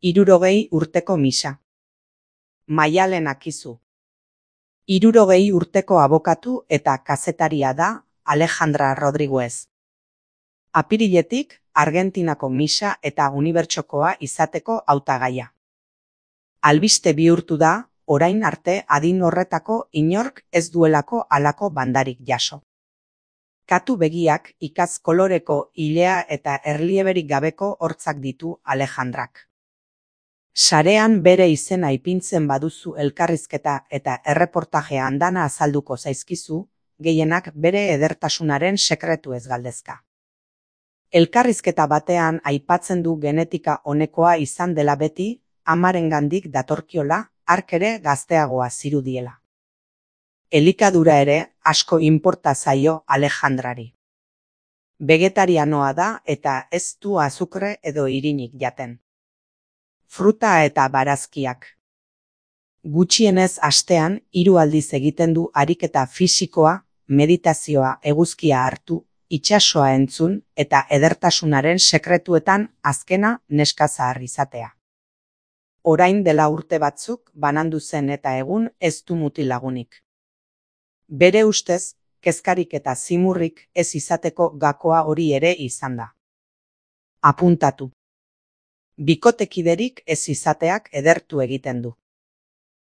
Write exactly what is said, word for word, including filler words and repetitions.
Hirurogei urteko misa. Maialen Akizu. Hirurogei urteko abokatu eta kazetaria da Alejandra Rodriguez. Apiriletik Argentinako misa eta unibertsokoa izateko hautagaia. Albiste bihurtu da, orain arte adin horretako inork ez duelako halako bandarik jaso. Katu begiak ikaz koloreko ilea eta erlieberik gabeko hortzak ditu Alejandrak. Sarean bere izena ipintzen baduzu elkarrizketa eta erreportajea andana azalduko zaizkizu, gehienak bere edertasunaren sekretuez galdezka. Elkarrizketa batean aipatzen du genetika onekoa izan dela beti, amarengandik datorkiola, hark ere gazteagoa zirudiela. Elikadura ere asko inporta zaio Alejandrari. Vegetarianoa da eta ez du azukre edo irinik jaten. Fruta eta barazkiak. Gutxienez astean hiru aldiz egiten du ariketa fisikoa, meditazioa, eguzkia hartu, itsasoa entzun eta edertasunaren sekretuetan azkena neska zahar izatea. Orain dela urte batzuk banandu zen eta egun ez du mutilagunik. Bere ustez, kezkarik eta zimurrik ez izateko gakoa hori ere izan da. Apuntatu. Bikotekiderik ez izateak edertu egiten du.